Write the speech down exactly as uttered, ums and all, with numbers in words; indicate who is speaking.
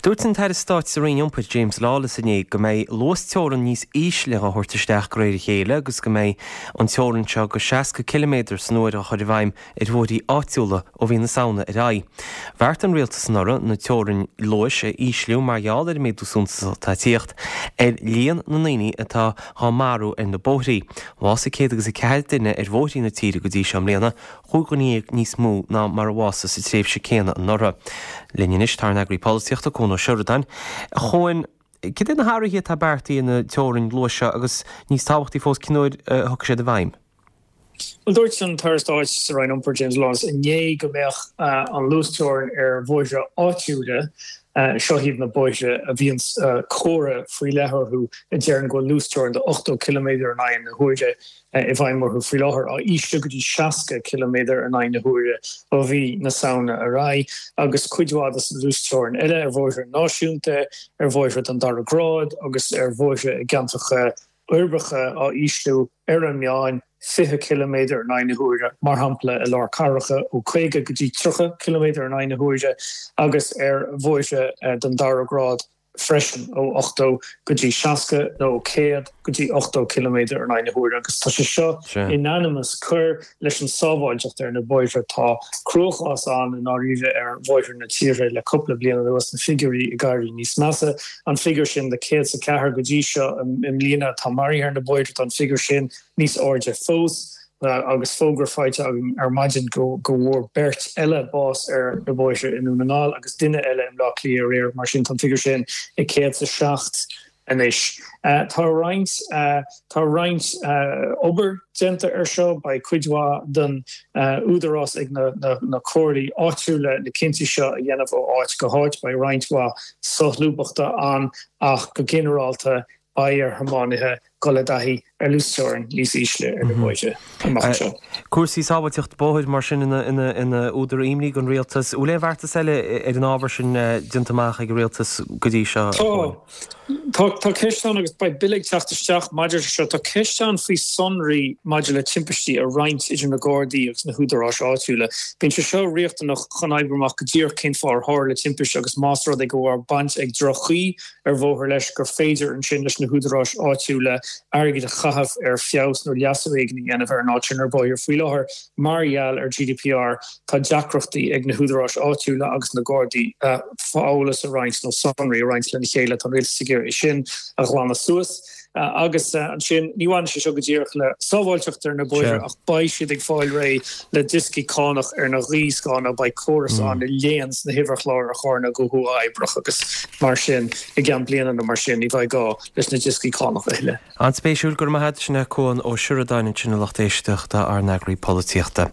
Speaker 1: Dúirt an tAire Stáit sa Roinn Iompair James Lawless inné go mbeidh luasteorainn níos ísle á thabhairt isteach de réir a chéile agus go mbeidh an teorainn seo go seasca ciliméadar san uair á chur i bhfeidhm ar bhóithrí áitiúla ó mhí na Samhna ar aghaidh. Bheartaigh an rialtas anuraidh na teorainn luais a ísliú mar gheall ar an méadú suntasach atá ag tíocht ar líon na ndaoine atá á marú ar na bóithrí. Bhásaigh céad agus a ceathair duine ar bhóithrí na tíre go dtí seo i mbliana, chúig dhuine dhéag níos mó ná mar a bhásaigh sa tréimhse céanna anuraidh. Linn anois tá ár n-eagraí polaitíochta, Cuan Ó Seireadáin. A Chuain, cad é na hathruithe atá beartaithe na teorainn luais seo agus níos tábhachtaí fós cén uair a thiocfaidh siad i bhfeidhm?
Speaker 2: Bhuel, dúirt an tAire Stáit sa Roinn Iompair, James Lawless, inné go mbeadh an luasteorainn ar bhóithre áitiúla, seo iad na bóithre a bhíonn comhartha faoi leith orthu a deireann go bhfuil luasteorainn de ochtó ciliméadar in aghaidh na huaire i bhfeidhm orthu faoi láthair, á ísliú go dtí seasca ciliméadar in aghaidh na huaire ó mhí na Samhna ar aghaidh, agus cuid mhaith de na luasteorainn eile ar bhóithre náisiúnta, ar bhóithre den dara grád agus ar bhóithre i gceantracha uirbeacha á ísliú ar an meán fiche ciliméadar in aghaidh na huaire, mar shampla i lár cathracha ó caoga go dtí tríocha ciliméadar in aghaidh na huaire agus ar bhóithre den dara grád freisin ó ochtó go dtí seasca nó ó céad go dtí ochtó ciliméadar in aghaidh na huaire agus tá sé seo in ainm is cur leis an sábháilteacht ar na bóithre. Tá cruachás ann i ndáiríre ar bhóithre na tíre le cúpla bliain anuas, na figiúirí ag éirí níos measa. An figiúr sin de céad is a ceathair go dtí seo i mbliana atá maraithe ar na bóithre, tá an figiúr sin níos airde fós agus fógra faighte againn ar maidin go bhfuair beirt eile bás ar na bóithre i nDún na nGall agus duine eile i mBleá Cliath aréir. Mar sin tá an figiúr sin ag céad is a seacht anois. Tá roinnt tá roinnt obair déanta ar seo. Beidh cuid mhaith den údarás ag na na comhairlí áitiúla na cinntí seo a dhéanamh ó áit go háit. Beidh roinnt mhaith solúbthachta ann ach go ginearálta beidh ar thiománaithe dul i dtaithí ar luasteorainn níos ísle ar na bóithre amach anseo.
Speaker 1: Cúrsaí sábháilteachta bóthair mar sin ina údar imní don rialtas. Bhfuil aon bheartas eile ar an ábhar sin déanta amach ag an rialtas go dtí seo?
Speaker 2: Tá. Tá tá ceist ann agus beidh bille ag teacht isteach maidir leis seo. Tá ceist ann faoi sonraí maidir le timpistí a roinnt idir na Gardaí agus na húdaráis áitiúla. Bíonn sé seo riachtanach chun oibriú amach go díreach cén fáth ar tharla timpiste agus más rud é go raibh baint ag droch-chaoi ar bhóthar leis gur féidir ansin leis na húdaráis áitiúla airgead a chaitheamh ar feabhas nó leasú éigin a dhéanamh ar an áit sin ar bóithre. Faoi láthair, mar gheall ar G D P R, tá deacrachtaí ag na húdaráis áitiúla agus na Gardaí eolas a roinnt nó sonraí a roinnt lena chéile. Tá an rialtas ag iarraidh é sin a ghlanadh suas. Agus ansin, ní bhaineann sé seo go díreach le sábháilteacht ar na bóithre ach beidh siad ag fáil réidh le dioscaí cánach ar na gaothscáthanna, beidh córas ann a léann na huimhirchláir ar charranna go huathoibríoch agus mar sin i gceann bliana nó mar sin ní bheidh gá leis na dioscaí cánach a thuilleadh.
Speaker 1: An-spéisiúil, go raibh maith agat. Sin é Cuan Ó Seireadáin ansin a lucht éisteachta, ár n-eagraí polaitíochta.